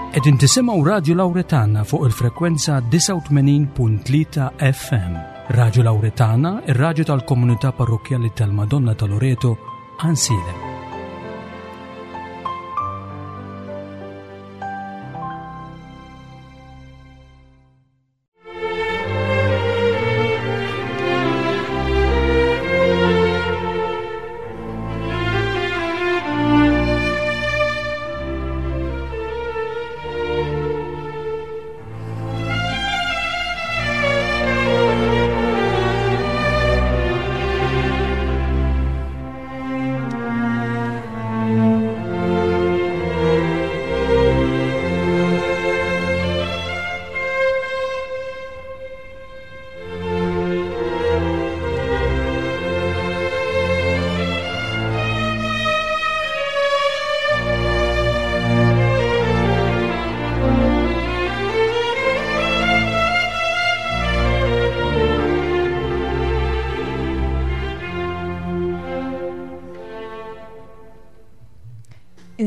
Qegħdin tisimgħu Radju Lawretana fuq il-frekwenza 89.3 FM. Radju Lawretana, ir-radju tal-komunità parrokkjali tal-Madonna ta' Loreto, Ansilem.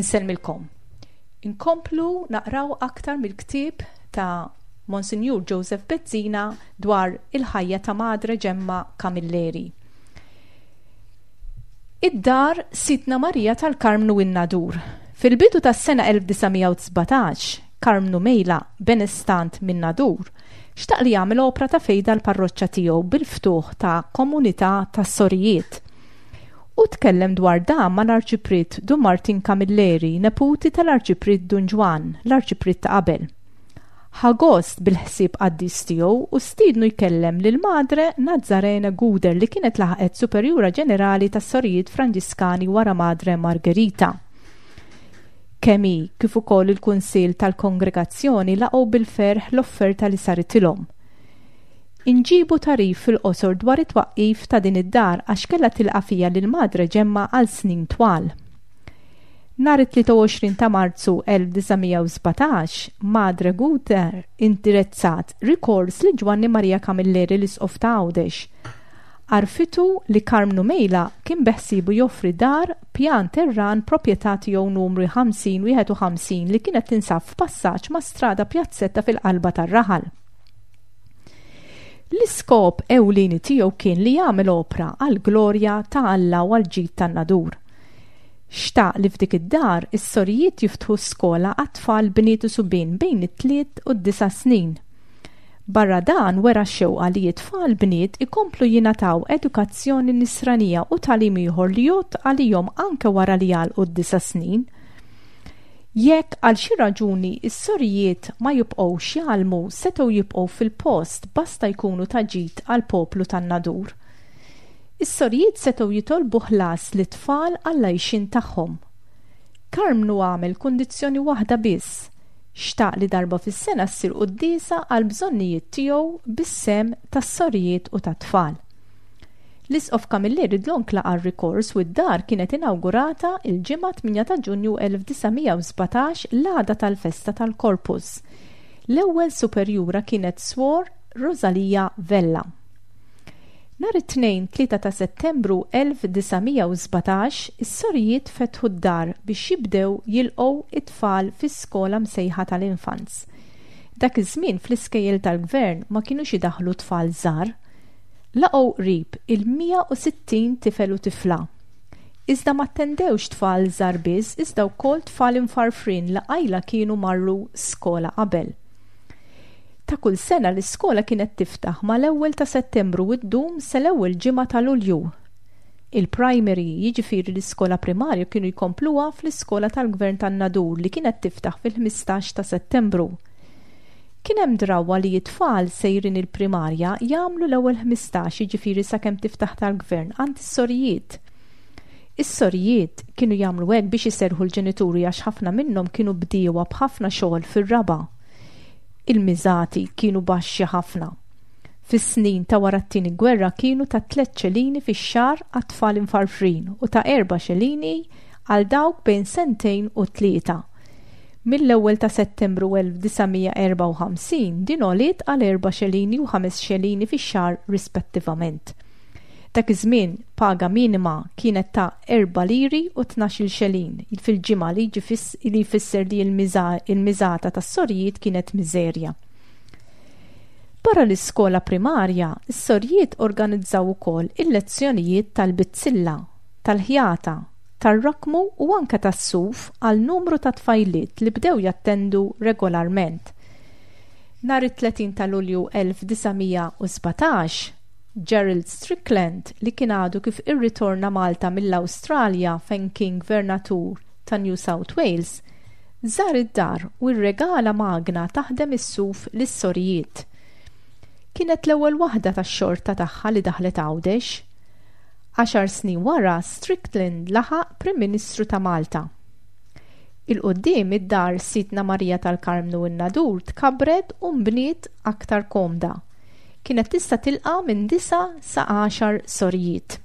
Insellmilkom. Inkomplu naqraw aktar mill-ktieb ta' Monsinjur Joseph Bezzina dwar il-ħajja ta' Madre Ġemma Camilleri. Id-dar Sidna Marija tal-Karmnu in-Nadur. Fil-bidu tas-sena 1917, Karmnu Mejla, benestant min-Nadur, xtaq li jagħmel opra ta' fejda l-parroċċa tiegħu bil-ftuħ ta' komunità ta' sorijiet. Hu tkellem dwar dan mal-Arċipriet Dun Martin Camilleri, neputi tal-Arċipriet Dun Ġwann, l-Arċipriet ta' qabel. Ħa gost bil-ħsieb qaddis tiegħu u stiednu jkellem lil Madre Nazzarene Guder li kienet laħqet Superjura Ġenerali tas-Sorijiet Franġiskani wara Madre Margherita. Kemm hi kif ukoll il-Kunsill tal-Kongregazzjoni laqgħu bil-ferħ l-offerta li saritilhom. Inġibu tagħrif fil-qosor dwar it-twaqqif ta' din id-dar għax kellha tilqa' fiha lil Madre Ġemma għal snin twal. Nhar it-23 ta' Marzu 1917, Madre Guter indirizzat rikors lil Ġwanni Maria Camilleri l-Isqof ta' Għawdex. Għarrfitu li Karmnu Mejla kien beħsiebu joffri dar pjan terran proprjetà tiegħu numri 50 51 li kienet tinsab f'passaġġ ma' Strada Pjazzetta fil-qalba tar-raħal. L-iskop ewlieni tiegħu kien li jagħmel opra għall-glorja ta' Alla u għall-ġid tan-Nadur. Xtaq li f'dik id-dar is-sorijiet jiftħu skola għat-tfal bniet u subien bejn it-tliet u d-disa' snin. Barra dan wera x-xewqa li t-tfal bniet ikomplu jingħataw edukazzjoni nisranija u tagħlim ieħor li jgħodd għalihom anke wara li jagħlqu d-disa' snin. Jekk għal xi raġuni s-sorijiet ma jibqgħux jgħallmu setgħu jibqgħu fil-post basta jkunu ta' ġid għall-poplu tan-Nadur. Is-sorijiet setgħu jitolbu ħlas lit-tfal għall-għajxien tagħhom. Karmnu għamel kundizzjoni waħda biss, xtaq li darba fis-sena ssir quddiesa għall-bżonnijiet tiegħu bis-sehem tas-sorijiet u tat-tfal. L-Isqof Camilleri dlonk laqa' r-rikors u d-dar kienet inawgurata l-Ġimgħa 8 ta' Ġunju 1917 l-għada tal-festa tal-Corpus. L-ewwel superjura kienet Swor Rosalia Vella. Nhar it-Tnejn 3 ta' Settembru 1917 is-sorijiet fetħu d-dar biex jibdew jilqgħu it-tfal fi skola msejħa tal-Infants. Dak iż-żmien fl-iskejjel tal-gvern ma kinux idaħħlu tfal żgħar. Laqgħu qrib il-160 tifel u tifla. Iżda ma attendewx tfal żgħar biss iżda wkoll tfal imfarfrin li qajla kienu marru skola qabel. Ta' kull sena l-iskola kienet tiftaħ mal-ewwel ta' Settembru u ddum sal-ewwel ġimgħa ta' Lulju. Il-primary, jiġifieri l-iskola primarja kienu jkompluha fl-iskola tal-Gvern tan-Nadur li kienet tiftaħ fil-15 ta' Settembru. Kien hemm drawwa li t-tfal sejrin il-primarja jagħmlu l-ewwel 15 jiġifieri sakemm tiftaħ tal-gvern għand is-sorijiet. Is-sorijiet kienu jagħmlu hekk biex iserrħu l-ġenituri għax ħafna minnhom kienu bdiewa b'ħafna xogħol fir-raba'. Il-miżati kienu baxxi ħafna. Fis-snin ta' wara t-Tieni Gwerra kienu ta' tlett xelini fix-xahar għat-tfal imfarfrin u ta' erba' xelini għal dawk bejn sentejn u tlieta. Mill-ewwel ta' Settembru 1954 din għoliet għal erba' xelini u ħames xelini fix-xahar rispettivament. Dak iż-żmien paga minima kienet ta' 4 liri u 12-il xelin fil-ġimgħa li li jfisser li l-miżata tas-sorijiet kienet miżerja. Barra l-iskola primarja, is-sorijiet organizzaw ukoll il-lezzjonijiet tal-bizzilla, tal-ħjata, tar-rakmu u anke tas-suf għal numru ta' tfajliet li bdew jattendu regolarment. Nhar it-30 ta' Lulju 1917, Gerald Strickland, li kien għadu kif irritorna Malta mill-Awstralja fejn kien gvernatur ta' New South Wales, żar id-dar u rregala magna taħdem is-suf lis-sorijiet. Kienet l-ewwel waħda tax-xorta tagħha li daħlet Għawdex. Għaxar snin wara, Strickland laħaq Prim Ministru ta' Malta. 'Il quddiem id-dar Sidtna Marija tal-Karmnu n-Nadur tkabbret u nbniet aktar komda. Kienet tista' tilqa' minn disa' sa għaxar sorijiet.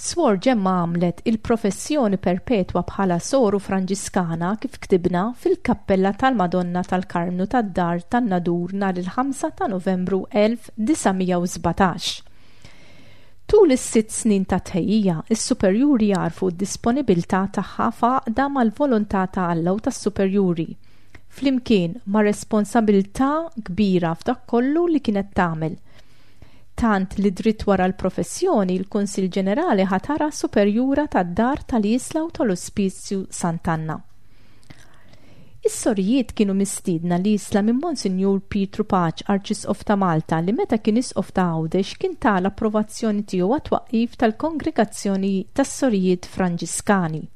Swor Ġemma għamlet il-professjoni perpetwa bħala soru Franġiskana kif ktibna fil-kappella tal-Madonna tal-Karmnu tad-Dar tan-Nadur nhar il-5 ta' Novembru 1917. Tul is-sitt snin ta' tħejjija, is-superjuri għarfu d-disponibilità tagħha f'għaqda mal-volontà ta' Alla u tas-superjuri. flimkien ma' responsabilità kbira f'dak kollu li kienet tagħmel. Tant li dritt wara l-professjoni l-Kunsill Ġenerali ħatarha Superjura tad-Dar tal-Isla u tal-Ospizju Sant'Anna. Is-sorijiet kienu mistiedna l-Isla minn Monsinjur Pietru Paċ, Arċisqof ta' Malta, li meta kien Isqof ta' Għawdex kien ta l-approvazzjoni tiegħu għat-twaqqif tal-Kongregazzjoni tas-Sorijiet Franġiskani.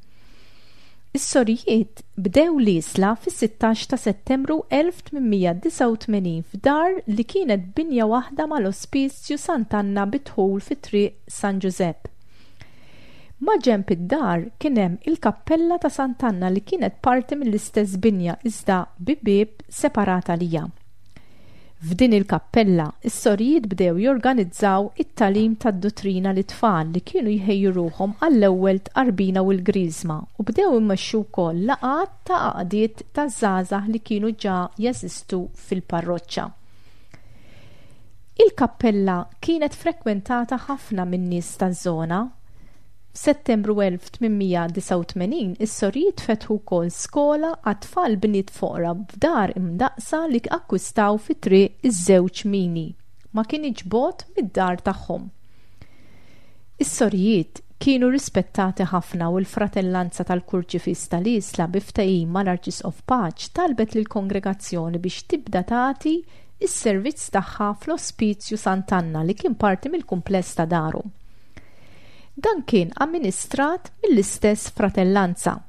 Is-sorijiet bdew l-Isla fis-16 ta' Settembru 1889 f'dar li kienet binja waħda mal-Ospizju Sant'Anna bi dħul fi Triq San Ġużepp. Maġenb id-dar kien hemm il-kappella ta' Sant'Anna li kienet parti mill-istess binja iżda bi bieb separat għaliha. F'din il-kappella, is-sorijiet bdew jorganizzaw it-tagħlim tad-duttrina lit-tfal li kienu jħejju ruħhom għall-ewwel tqarbina u l-griżma u bdew imexxu wkoll laqgħat ta' għaqdiet ta' żgħażagħ li kienu ġa jeżistu fil-parroċċa. Il-kappella kienet frekwentata ħafna min-nies taż-żona. F'Settembru 1889 is-sorijiet fetħu wkoll skola għat-tfal bniet foqra f'dar imdaqqsa li akkwistaw fi Triq iż-Żewġ Mini, ma kinitx bogħod mid-dar tagħhom. Is-sorijiet kienu rispettati ħafna u l-Fratellanza tal-Kurċifiss tal-Isla bi ftehim mal-Arċisqof Paċ talbet lill-kongregazzjoni biex tibda tagħti s-servizz tagħha fl-Ospizju Sant'Anna li kien parti mill-kumpless ta' daru. Dan kien amministrat mill-istess fratellanza.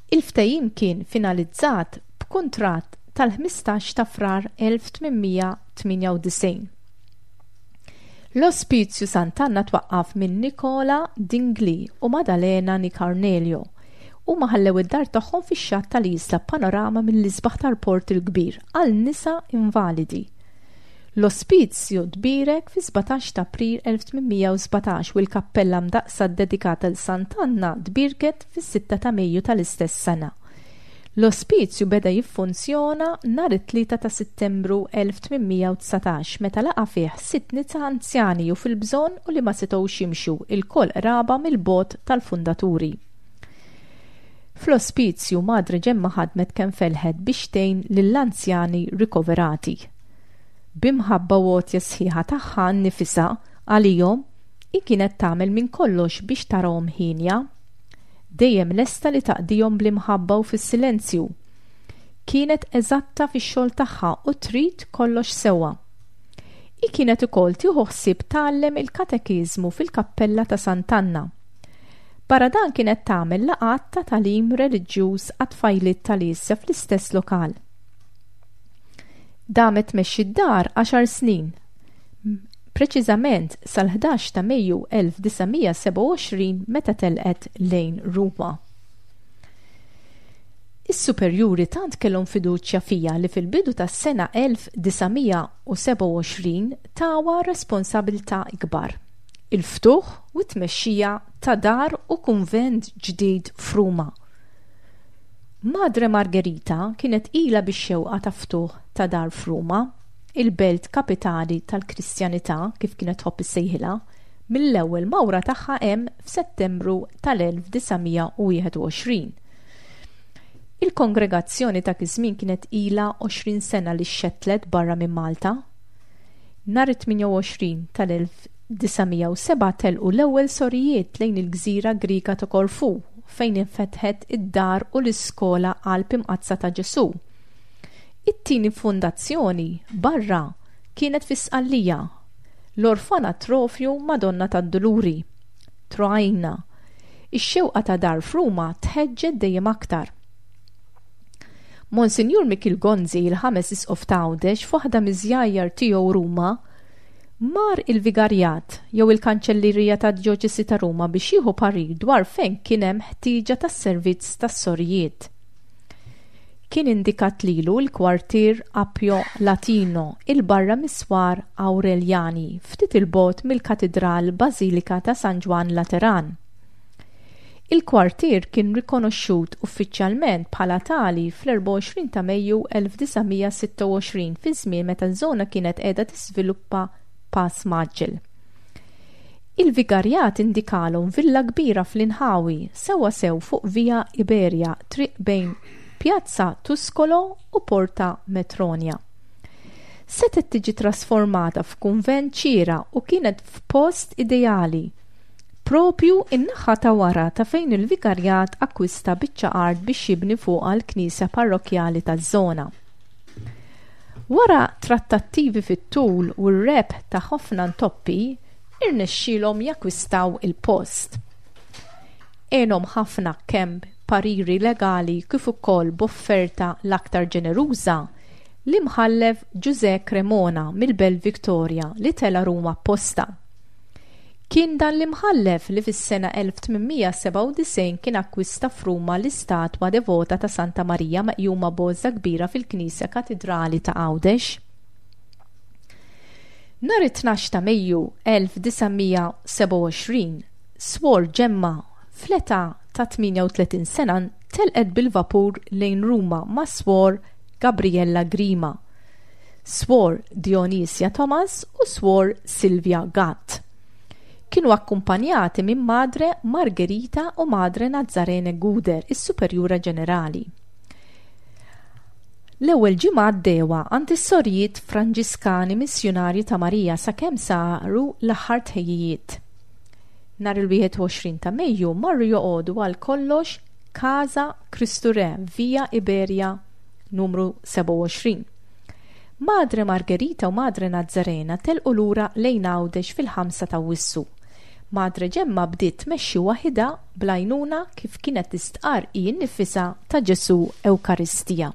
Il-ftehim kien finalizzat b'kuntratt tal-15 ta' Frar 1898. L-Ospizju Sant'Anna twaqqaf minn Nicola Dingli u Madalena Nicarnelio. Huma ħallew id-dar tagħhom fix-xatt tal-Isla b'panorama mill-isbaħ tal-Port il-Kbir għal nisa invalidi. L-ospizju tbierek fis-17 ta' April 1817 u l-kappella mdaqqsa ddedikata 'l Sant'Anna tbierket fis-sitta ta' Mejju tal-istess sena. L-ospizju beda jiffunzjona nhar it-Tlieta ta' Sittembru 1819 meta laqa' fih sitt nisa anzjani u fil-bżonn u li ma setgħux jimxu, ilkoll qraba mill-bogħod tal-fundaturi. Fl-ospizju, Madre Ġemma ħadmet kemm felħet biex tgħin lill-anzjani rikoverati. B'imħabba u għotja sħiħa tagħha nnifisha għalihom, hi kienet tagħmel minn kollox biex tarahom hienja. Dejjem lesta li taqdihom bl-imħabba u fis-silenzju. Kienet eżatta fix-xogħol tagħha u trid kollox sewwa. Hi kienet ukoll tieħu ħsieb tgħallem il-katekiżmu fil-kappella ta' Sant'Anna. Barra dan kienet tagħmel laqgħat ta' tagħlim reliġjuż għat-tfajliet tal-Isja fl-istess lokal. Damet tmexxi d-dar għaxar snin, preċiżament sal-11 ta' Mejju 1927 meta telqet lejn Ruma. Is-superjuri tant kellhom fiduċja fija li fil-bidu tas-sena 1927 tawha responsabilità ikbar. il-ftuħ u t-tmexxija ta' dar u kunvent ġdid f'Ruma. Madre Margherita kienet ilha bix-xewqa ta' ftuħ ta' dar f'Ruma. il-belt kapitali tal-Kristjanità kif kienet tħobb issejħilha, mill-ewwel mawra tagħha hemm f'Settembru tal-1921. Il-kongregazzjoni ta' iż-żmien kienet ilha 20 sena li xxettlet barra minn Malta. Nhar it-28 tal-1907 telqu l-ewwel sorijiet lejn il-gżira Griega ta' Korfu fejn infetħet id-dar u l-iskola Qalb Imqaddsa ta' Ġesù. It-tieni fondazzjoni barra kienet fi Sqallija, l-Orfanatrofju Madonna tad-Duluri, Troina. Ix-xewqa ta' dar f'Ruma tħeġġet dejjem aktar. Monsinjur Mikiel Gonzi, il-ħames isqof ta' Għawdex, f'waħda miż-żjajjar tiegħu Ruma, mar il-Vigarjat jew il-Kanċellerija tad-Djoċesi ta' Ruma biex jieħu parir dwar fejn kien hemm ħtieġa tas-servizz tas-sorijiet. Kien indikat lilu l-kwartier Appio Latino 'il barra mis-swar Awreljani, ftit 'il bogħod mill-Katidral Bażilika ta' San Ġwann Lateran. Il-kwartier kien rikonoxxut uffiċjalment bħala tali fl-24 ta' Mejju 1926 fi żmien meta ż-żona kienet qiegħda tiżviluppa pass mgħaġġel. Il-vigarjat indikalhom villa kbira fl-inħawi, sewwasew fuq Via Iberia, triq bejn Piazza Tuscolo u Porta Metronia. Setgħet tiġi trasformata f'kunvent xieraq u kienet f'post ideali, Proprju n-naħa ta' wara ta' fejn il-vigarjat akkwista biċċa art biex jibni fuqha l-knisja parrokkjali taż-żona. Wara trattattivi fit-tul u r-rebħ ta' ħafna ntoppi, irnexxielhom jakkwistaw il-post. Għenhom ħafna kemm b'pariri legali kif ukoll b'offerta l-aktar ġeneruża, l-Imħallef Ġużè Cremona mill-Belt Victoria li tela' Ruma apposta. Kien dan l-imħallef li fis-sena 1897 kien akkwista f'Ruma l-istatwa devota ta' Santa Marija meqjuma b'għożża kbira fil-Knisja Katidrali ta' Għawdex. Nhar it-tnax ta' Mejju 1927, Swor Ġemma, fl-età ta' 38 sena telqet bil-vapur lejn Ruma ma' Swor Gabriella Grima, Swor Dionisia Thomas u Swor Silvia Gatt. Kienu akkumpanjati minn Madre Margherita u Madre Nazzarene Guder, is-Superjura Ġenerali. L-ewwel ġimgħa għaddewha għand is-Sorijiet Franġiskani Missjunarji ta' Marija sakemm saru l-aħħar tħejjijiet. Nhar il-21 ta' Mejju marru joqogħdu għal kollox Casa Kristu Re, Via Iberia numru 27. Madre Margherita u Madre Nazzarena telqu lura lejn Għawdex fil-5 ta' Awwissu. Madre Ġemma bdiet tmexxi waħidha bl-għajnuna kif kienet tistqarr hi nnifisha ta' Ġesù Ewkaristija.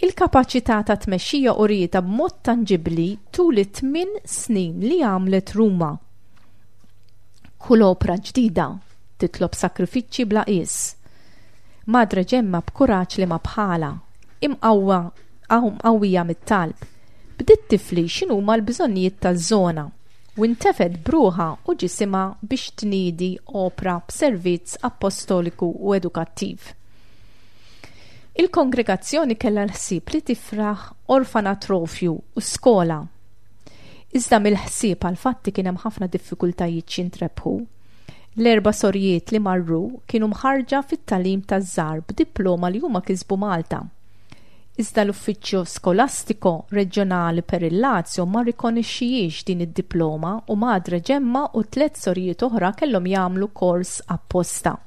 Il-kapaċità ta' tmexxija urietha b'mod tanġibbli tul it-tmien snin li għamlet Ruma. Kull opra ġdida titlob sagrifiċċji bla qies. Madre Ġemma b'kuraġġ li ma bħalha, imqawwa mqawwija mit-talb, bdiet tifli x'inhuma l-bżonnijiet taż-żona u ntefgħet b'ruħha u ġisimha biex tniedi opra b'servizz appostoliku u edukattiv. Il-kongregazzjoni kellha l-ħsieb li tifraħ orfanatrofju u skola. Iżda mill-ħsieb għall-fatti kien hemm ħafna diffikultajiet x'jintrebħu. L-erba' sorijiet li marru kienu mħarrġa fit-tagħlim taż-żgħar b'diploma li huma kisbu Malta. Iżda l-Uffiċċju Skolastico Reġjonali per il Lazio ma rrikonixxijiex din id-diploma u Madre Ġemma u tlett sorijiet oħra kellhom jagħmlu kors apposta.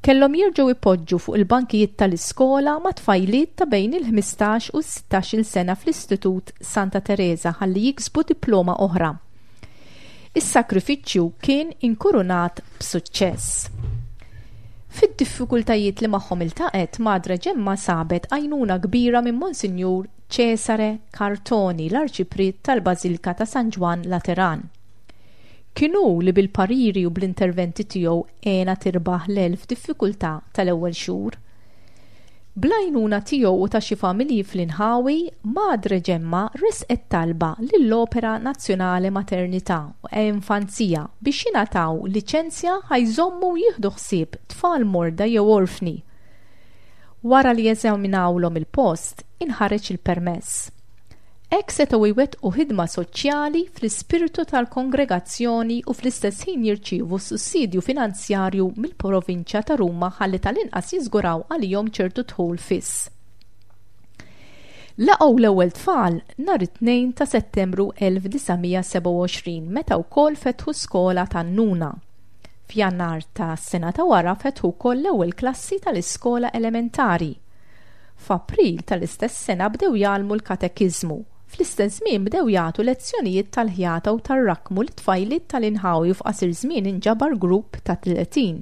Kellhom jerġgħu jpoġġu fuq il-bankijiet tal-iskola ma' tfajliet ta' bejn il-ħmistax u s-sittax-il sena fl-Istitut Santa Tereża ħalli jiksbu diploma oħra. Is-sagrifiċċju kien inkurunat b'suċċess. Fid-diffikultajiet li magħhom iltaqgħet, Madre Ġemma sabet għajnuna kbira minn Monsinjur Cesare Cartoni, l-Arċipriet tal-Bażilka ta' San Ġwann Lateran. Kien hu li bil-pariri u bl-interventi tiegħu għenha tirbaħ l-elf diffikultà tal-ewwel xhur. Bl-għajnuna tiegħu u ta' xi familji fl-inħawi, Madre Ġemma ressqet talba lill-Opera Nazionale Maternità e Infanzia biex jingħataw liċenzja ħa jżommu u jieħdu ħsieb tfal morda jew orfni. Wara li eżaminawlhom il-post, inħareġ il-permess. Hekk setgħu jwettqu ħidma soċjali fl-ispirtu tal-kongregazzjoni u fl-istess ħin jirċievu sussidju finanzjarju mill-Provinċja ta' Ruma ħalli tal-inqas jiżguraw għalihom ċertu dħul fiss. Laqgħu l-ewwel tfal nhar it-Tnejn ta' Settembru 1927 meta wkoll fetħu skola tan-Nuna. F'Jannar ta' sena ta' wara fetħu wkoll l-ewwel klassi tal-iskola elementari. F'April tal-istess sena bdew jgħallmu l-katekiżmu. Fl-istess żmien bdew jagħtu lezzjonijiet tal-ħjata u tar-rakkmu lit-tfajliet tal-inħawi u f'qasir żmien inġabar grupp ta' 30.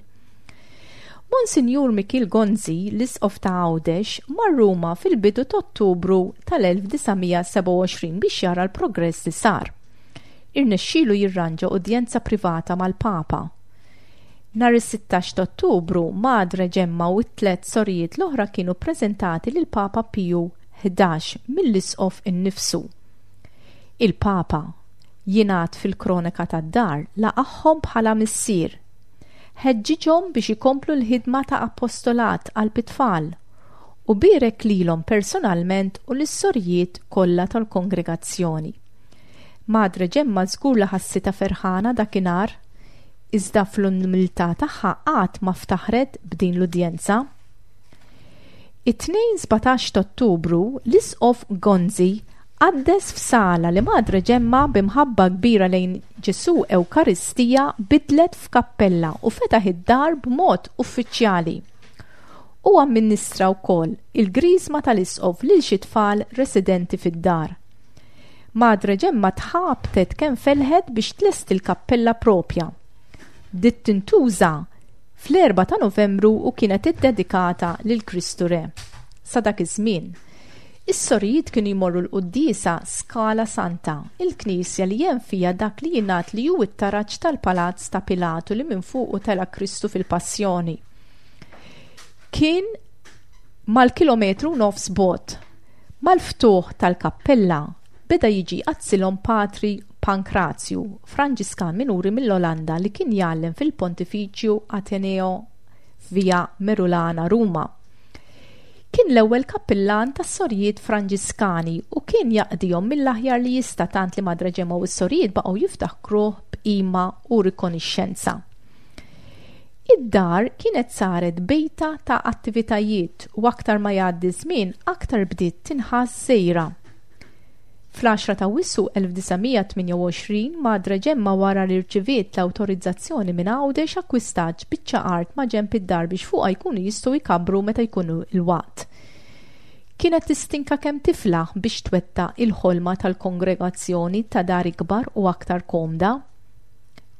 Monsinjur Mikiel Gonzi, l-Isqof ta' Għawdex, mar Ruma fil-bidu t'Ottubru tal-1927 biex jara l-progress li sar. Irnexxielu jirranġa udjenza privata mal-Papa. Nhar is-16 ta' Ottubru, Madre Ġemma u t-tlett sorijiet l-oħra kienu ppreżentati lill-Papa Piju 11 mill-Isqof innifsu. Il-Papa, jingħad fil-kroneka tad-dar, laqagħhom bħala missier. Ħeġġiġhom biex ikomplu l-ħidma ta' appostolat qalb it-tfal u bierek lilhom personalment u lis-sorijiet kollha tal-kongregazzjoni. Madre Ġemma żgur li ħassitha ferħana dakinhar, iżda fl-umiltà tagħha qatt ma ftaħret b'din l-udjenza. It-Tnejn 17 t'Ottubru, l-Isqof Gonzi qaddes f'sala li Madre Ġemma b'imħabba kbira lejn Ġesù Ewkaristija bidlet f'kappella u fetaħ id-dar b'mod uffiċjali. Hu amministra wkoll il-griżma tal-Isqof lil xi tfal residenti fid-dar. Madre Ġemma tħabtet kemm felħet biex tlesti l-kappella propja. Bdiet tintuża fl-4 ta' Novembru u kienet iddedikata lil Kristu Re. Sa dak iż-żmien, is-sorijiet kienu jmorru l-quddiesa Scala Santa, il-knisja li hemm fiha dak li jingħad li hu t-taraġ tal-palazz ta' Pilatu li minn fuqu tela' Kristu fil-Passjoni. Kien mal-kilometru u nofs bogħod. Mal-ftuħ tal-kappella beda jiġi jqaddsilhom Patri Pankrazju, Franġiskan minuri mill-Olanda li kien jgħallem fil-Pontifiċju Ateneo f'Via Merulana, Ruma. Kien l-ewwel kappillan tas-Sorijiet Franġiskani u kien jaqdihom mill-aħjar li jista' tant li Madre Ġemma u s-sorijiet baqgħu jiftakruh b'qima u rikonixxenza. Id-dar kienet saret bejta ta' attivitajiet u aktar ma jgħaddi ż-żmien aktar bdiet tinħass żgħira. Fl-10 ta' Awwissu 1928 Madre Ġemma wara li rċiviet l-awtorizzazzjoni minn Għawdex akkwistat biċċa art maġenb id-dar biex fuqha jkunu jistgħu jkabbru meta jkun il-waqt. Kienet tistinka kemm tiflaħ biex twettaq il-ħolma tal-kongregazzjoni ta' dar ikbar u aktar komda.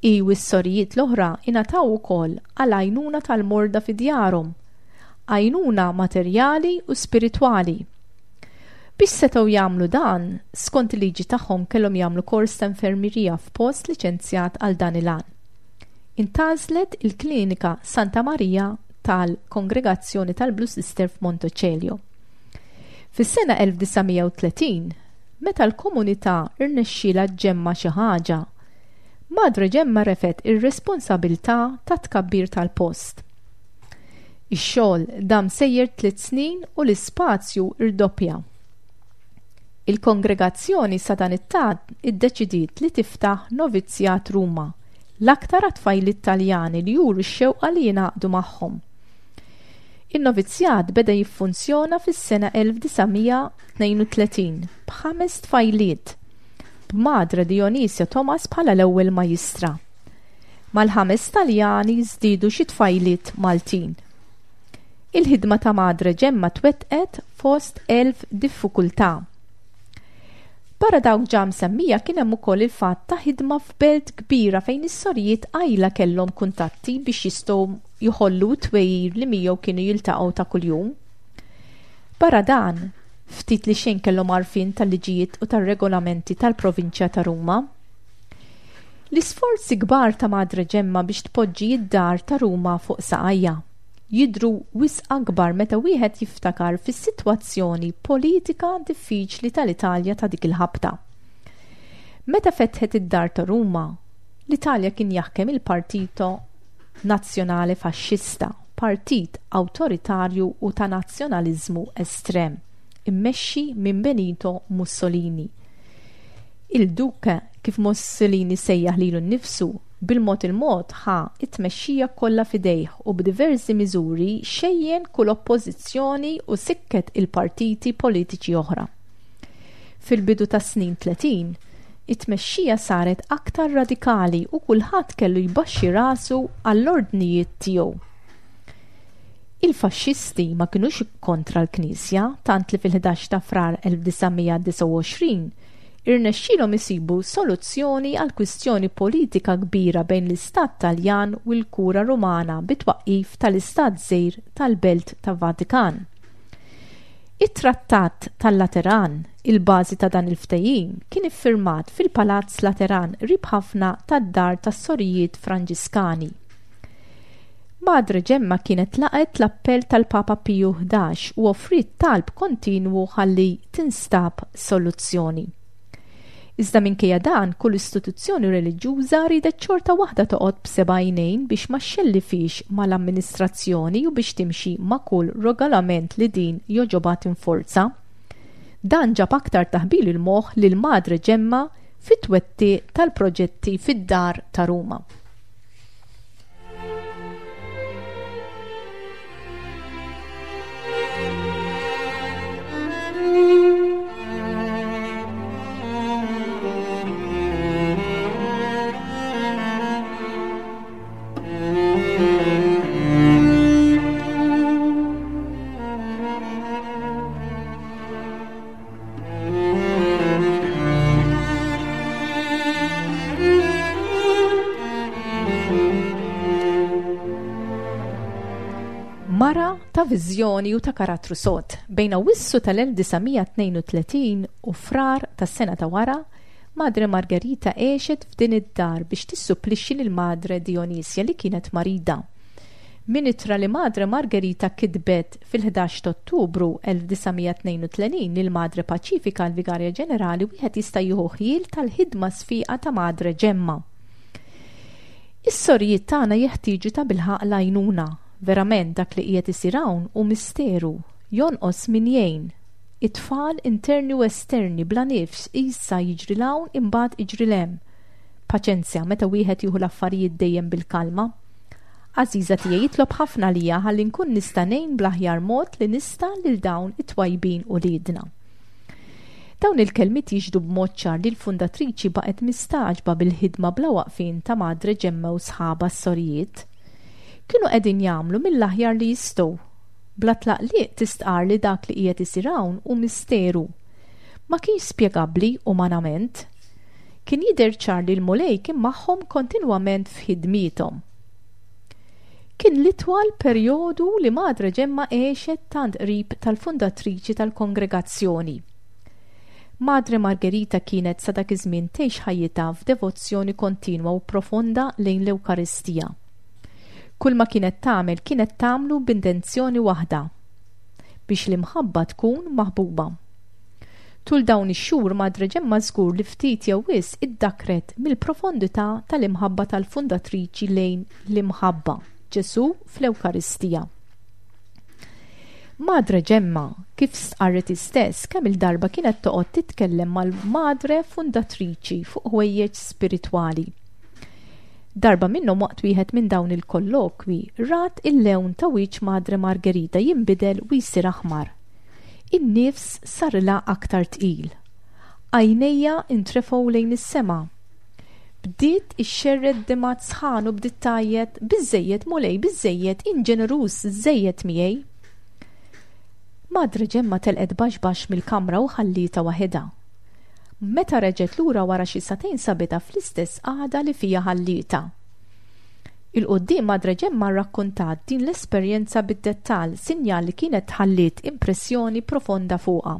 Hi u s-sorijiet l-oħra ingħataw ukoll għal għajnuna tal-morda fi djarhom, għajnuna materjali u spiritwali. Biex setgħu jagħmlu dan, skont il-liġi tagħhom kellhom jagħmlu kors ta' infermierija f'post liċenzjat għal dan il-għan. Intgħażlet il-Klinika Santa Maria tal-Kongregazzjoni tal-Blue Sister f'Montecelio. Fis-sena 1930, meta l-komunità rnexxielha ġġemma' xi ħaġa, Madre Ġemma refgħet ir-responsabilità tat-tkabbir tal-post. Ix-xogħol dam sejjer tliet snin u l-ispazju rdoppja. Il-kongregazzjoni sadanittant iddeċidiet li tiftaħ novizzjat Ruma, l-aktar għat-tfajliet Taljani li juru x-xewqa li jingħaqdu magħhom. In-novizzjat beda jiffunzjona fis-sena 1932 b'ħames tfajliet, b'Madre Dionisia Thomas bħala l-ewwel majistra. Mal-ħames Taljani żdiedu xi tfajliet Maltin. Il-ħidma ta' Madre Ġemma twettqet fost 1000 diffikultà. Barra dawk ġa msemmija kien hemm ukoll il-fatt ta' ħidma f'belt kbira fejn is-sorijiet qajla kellhom kuntatti biex jistgħu jħollu t-twegħir li miegħu kienu jiltaqgħu ta' kuljum. Barra dan, ftit li xejn kellhom għarfien tal-liġijiet u tar-regolamenti tal-provinċja ta' Ruma. L-isforzi kbar ta' Madre Ġemma biex tpoġġi d-dar ta' Ruma fuq saqajha jidhru wisq akbar meta wieħed jiftakar fis-sitwazzjoni politika diffiċli tal-Italja ta' dik il-ħabta. Meta fetħet id-dar ta' Ruma, l-Italja kien jaħkem il-Partito Nazzjonale Faxxista, partit awtoritarju u ta' nazzjonaliżmu estrem. immexxi minn Benito Mussolini. Il-Duke, kif Mussolini sejjaħ lilu nnifsu, bil-mod il-mod ħa t-tmexxija kollha f'idejh u b'diversi miżuri xejjen kull oppożizzjoni u sikket il-partiti politiċi oħra. Fil-bidu tas-snin 30, it-tmexxija saret aktar radikali u kulħadd kellu jbaxxi rasu għall-ordnijiet tiegħu. Il-Faxxisti ma kinux kontra l-Knisja tant li fil-11 ta' Frar 1929 irnexxielhom isibu soluzzjoni għal kwistjoni politika kbira bejn l-Istat Taljan u l-Kura Rumana bit-twaqqif tal-Istat żgħir tal-Belt ta' Vatikan. It-Trattat tal-Lateran, il-bażi ta' dan il-ftehim, kien iffirmat fil-Palazz Lateran qrib ħafna tad-Dar tas-Sorijiet Franġiskani. Madre Ġemma kienet laqgħet l-appell tal-Papa Piju 11 u offriet talb kontinwu ħalli tinstab soluzzjoni. Iżda minkejja dan, kull istituzzjoni reliġjuża riedet xorta waħda toqgħod b'seba' għajnejn biex ma xxellifhiex mal-amministrazzjoni u biex timxi ma' kull regolament li din jogħġobha tinforza. Dan ġab aktar taħbil il-moħħ lil Madre Ġemma fit-twettiq tal-proġetti fid-dar ta' Ruma. Mara ta' viżjoni u ta' karattru sod. Bejn Awwissu tal-1932 u Frar tas-sena ta' wara, Madre Margherita għexet f'din id-dar biex tissupplixxi lil Madre Dionisia li kienet marida. Minn ittra li Madre Margherita kitbet fil-11 ta' Ottubru 1932 lil Madre Paċifika l-Vigarja Ġenerali wieħed jista' jieħu ħjiel tal-ħidma sfiqa ta' Madre Ġemma. Is-sorijiet tagħna jeħtieġu tabilħaqq l-għajnuna. Verament dak li qiegħed isir hawn hu misteru. Jonqos min jgħin. It-tfal interni u esterni bla nifs issa jiġri 'l hawn imbagħad iġri 'l hemm. Paċenzja meta wieħed jieħu l-affarijiet dejjem bil-kalma. Għażiża tiegħi itlob ħafna għalija ħalli nkun nista' ngħin bl-aħjar mod li nista' lil dawn it-twajbin uliedna. Dawn il-kelmiet jixhdu b'mod ċar li l-fundatriċi baqgħet mistagħġba bil-ħidma bla waqfien ta' Madre Ġemma u sħabha s-sorijiet. Kienu qegħdin jagħmlu mill-aħjar li jistgħu. Bla tlaqliq tistqarr li dak li qiegħed isir hawn hu misteru. Ma kienx spjegabbli umanament. Kien jidher ċar li l-Mulej kien magħhom kontinwament f'ħidmiethom. Kien l-itwal perjodu li Madre Ġemma għexet tant qrib tal-fundatriċi tal-kongregazzjoni. Madre Margherita kienet sa dak iż-żmien tgħix ħajjitha f'devozzjoni kontinwa u profonda lejn l-Ewkaristija. Kull ma kienet tagħmel kienet tagħmlu b'intenzjoni waħda, biex l-imħabba tkun maħbuba. Tul dawn ix-xhur Madre Ġemma żgur li ftit jew wisq iddakkret mill-profondità tal-imħabba tal-fundatriċi lejn l-imħabba, Ġesù fl-Ewkaristija. Madre Ġemma, kif stqarret hi stess, kemm-il darba kienet toqgħod titkellem mal-Madre fundatriċi fuq ħwejjeġ spiritwali. Darba minnhom waqt wieħed minn dawn il-kollokwi rat il-lewn ta' wiċċ Madre Margherita jinbidel u jsir aħmar. In-nifs sarilha aktar tqil. Għajnejha ntrefgħu lejn is-sema. Bdiet ixxerred demgħat sħan u bdiet tgħajjet, Biżżejjed, Mulej, biżżejjed, int ġeneruż żżejjed miegħi. Madre Ġemma telqet baxx baxx mill-kamra u ħallietha waħedha. Meta reġgħet lura wara xi sagħtejn sabitha fl-istess qagħda li fiha ħallietha. 'Il quddiem Madre Ġemma rrakkuntat din l-esperjenza bid-dettall, sinjal li kienet ħalliet impressjoni profonda fuqha.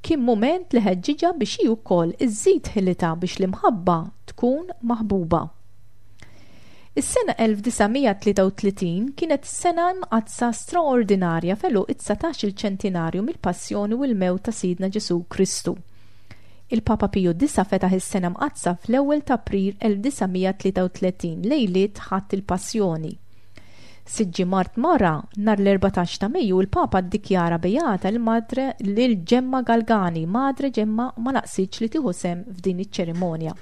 Kien mument li ħeġġiġha biex hi wkoll iżżid ħilitha biex l-imħabba tkun maħbuba. Is-sena 1933 kienet sena mqaddsa straordinarja f'għeluq id-dsatax-il ċentinarju mill-Passjoni u l-Mewt ta' Sidna Ġesù Kristu. Il-Papa Piju Disa' fetaħ is-Sena Mqaddsa fl-ewwel ta' April 1933, lejliet Ħadd il-Passjoni. Sitt ġimgħat wara, nhar l-14 ta' Mejju, il-Papa ddikjara beata l-Madre lil Ġemma Galgani. Madre Ġemma ma naqsitx li tieħu sehem f'din iċ-ċerimonja.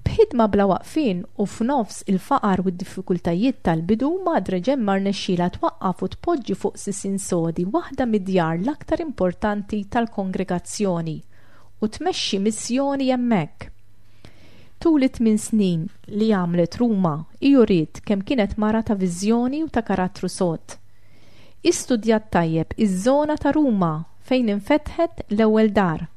B'ħidma bla waqfien u f'nofs il-faqar u d-diffikultajiet tal-bidu, Madre Ġemma rnexxielha twaqqaf u tpoġġi fuq sisien sodi waħda mid-djar l-aktar importanti tal-kongregazzjoni u tmexxi missjoni hemmhekk. Tul it-tmin snin li għamlet Ruma, hi uriet kemm kienet mara ta' viżjoni u ta' karattru sod. Hi studjat tajjeb iż-żona ta' Ruma fejn infetħet l-ewwel dar.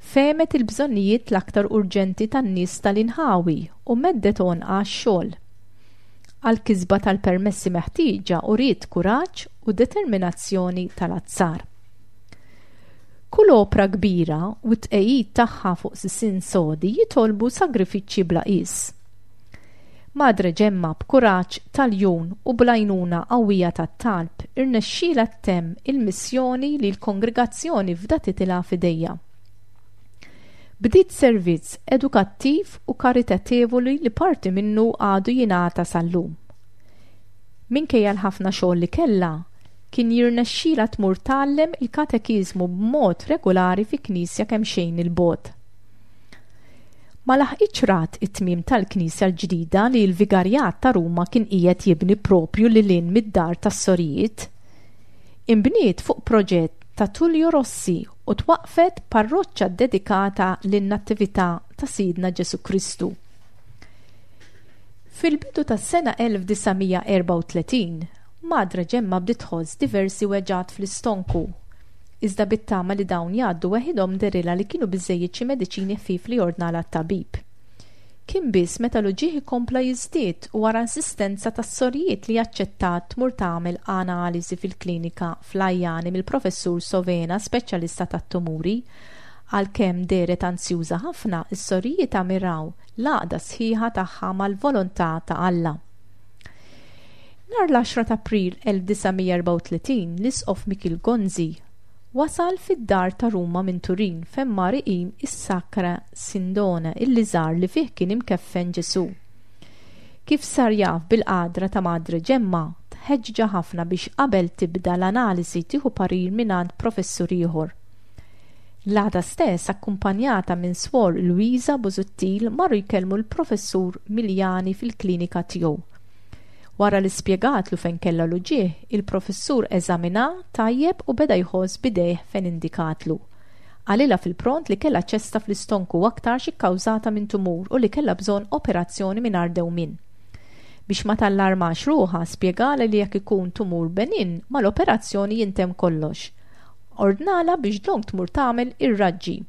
Fehmet il-bżonnijiet l-aktar urġenti tan-nies tal-inħawi u meddet għonqha għax-xogħol. Għall-kisba tal-permessi meħtieġa uriet kuraġġ u determinazzjoni tal-azzar. Kull opra kbira u t-tqegħid tagħha fuq sisien sodi jitolbu sagrifiċċji bla qies. Madre Ġemma b'kuraġġ tal-ljun u bl-għajnuna qawwija tat-talb irnexxielha ttemm il-missjoni li l-kongregazzjoni fdatitilha f'idejha. Bdiet servizz edukattiv u karitatevoli li parti minnu għadu jingħata sal-lum. Minkejja l-ħafna xogħol li kellha, kien jirnexxilha tmur tgħallem il-katekiżmu b'mod regulari fi knisja kemxejn 'il bogħod. Ma laħqitx rat it-tmiem tal-knisja l-ġdida li l-Vigarjat ta' Ruma kien qiegħed jibni proprju lil hinn mid-dar tas-sorijiet. Inbniet fuq proġett ta' Tullio Rossi u twaqqfet parroċċa ddedikata lin-Natività ta' Sidna Ġesù Kristu. Fil-bidu tas-sena 1934, Madre Ġemma bdiet tħoss diversi weġgħat fl-istonku. Iżda bit-tama li dawn jgħaddu weħidhom dehrilha li kienu biżżejjed xi mediċini ħfief li ordnalha t-tabib. Kien biss meta l-uġigħ ikompla jiżdied u wara insistenza tas-sorijiet li aċċettat tmur tagħmel analiżi fil-klinika fl-Ajani mill-Professur Sovena, speċjalista tat-tumuri. Għalkemm dehret anzjuża ħafna, is-sorijiet ammiraw l-għaqda sħiħa tagħha mal-volontà ta' Alla. Nhar l-10 ta' April 1934 l-Isqof Mikiel Gonzi wasal fid-dar ta' Ruma minn Turin fejn mar iqim is-Sacra Sindone illi żar li fih kien imkeffen Ġesù. Kif sar jaf bil-qadra ta' Madre Ġemma, tħeġġa ħafna biex qabel tibda l-analisi tieħu parir mingħand professur ieħor. L-għada stess, akkumpanjata minn Swor Luisa Busuttil, marru jkellmu l-Professur Miljani fil-klinika tiegħu. Wara li spjegatlu fejn kellha l-uġigħ, il-professur eżaminha tajjeb u beda jħoss b'idejh fejn indikatlu. Qalilha fil-pront li kellha ċesta fl-istonku aktarx ikkawżata minn tumur u li kellha bżonn operazzjoni mingħajr dewmien. Biex ma tallarmax ruħha, spjegalha li jekk ikun tumur beninn, mal-operazzjoni jintemm kollox. Ordnalha biex dlonk tmur tagħmel ir-raġġi.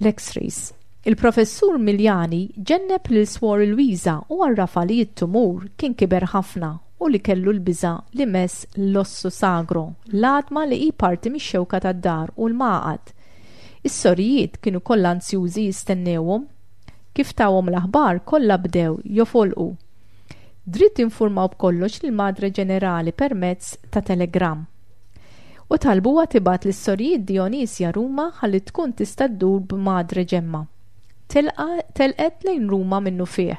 L-X-rays. Il-Professur Miljani ġenneb lil Swor Luisa u għarrafha li t-tumur kien kiber ħafna u li kellu l-biża' li mess l-ossu sagro, l-għadma li hi parti mix-xewka tad-dar u l-magħqad. Is-sorijiet kienu kollha anzjużi jistennewhom. Kif tawhom l-aħbar kollha bdew jofolqu. Dritt infurmaw b'kollox lill-Madre Ġenerali permezz ta' telegramm. U talbuha tibgħat lis-sorijiet Dionisia Ruma ħalli tkun tista' ddur b'Madre Ġemma. Telqet lejn Ruma minnufih.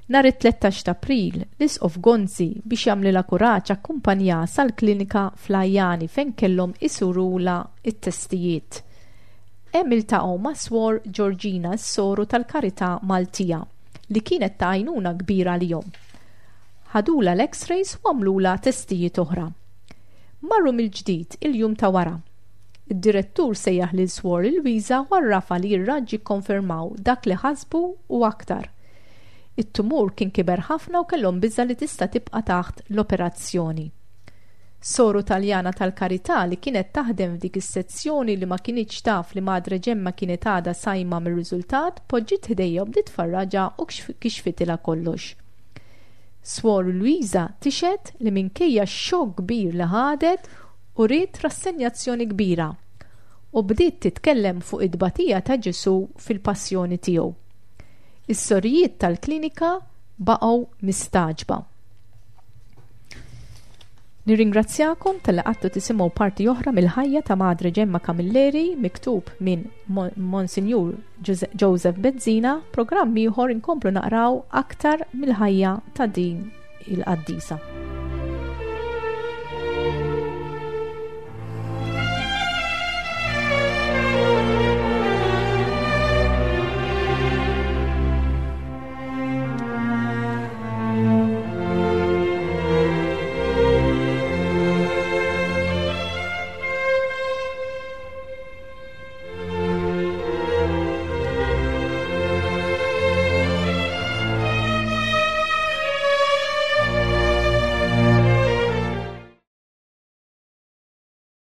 Nhar it-13 ta' April, l-Isqof Gonzi biex jagħmlilha kuraġġ akkumpanjaha sal-klinika fl-Ajani fejn kellhom isurulha t-testijiet. Hemm iltaqgħu ma' Swor Georgina s-soru tal-Karità Maltija. li kienet ta' għajnuna kbira għalihom. Ħadulha l-x-rays u għamlulha testijiet oħra. Marru mill-ġdid il-jum ta' wara. Id-direttur sejjaħ lil Swor Luisa u għarrafha li r-raġġi kkonfermaw dak li ħasbu u aktar. It-tumur kien kiber ħafna u kellhom biża' li tista' tibqa' taħt l-operazzjoni. Soru Taljana tal-Karità li kienet taħdem f'dik is-sezzjoni li ma kinitx taf li Madre Ġemma kienet għadha sajma mir-riżultat, poġġiet ħdejha u bdiet tfarraġha u kixfitilha kollox. Swor Luisa tixhed li minkejja x-xokk kbir li ħadet, uriet rassenjazzjoni kbira u bdiet titkellem fuq it-tbatija ta' Ġesù fil-passjoni tiegħu. Is-sorijiet tal-klinika baqgħu mistagħġba. Nirringrazzjakom talli qgħadtu tisimgħu parti oħra mill-ħajja ta' Madre Ġemma Camilleri miktub minn Monsinjur Joseph Bezzina, programm ieħor inkomplu naqraw aktar mill-ħajja ta' din il-qaddisa.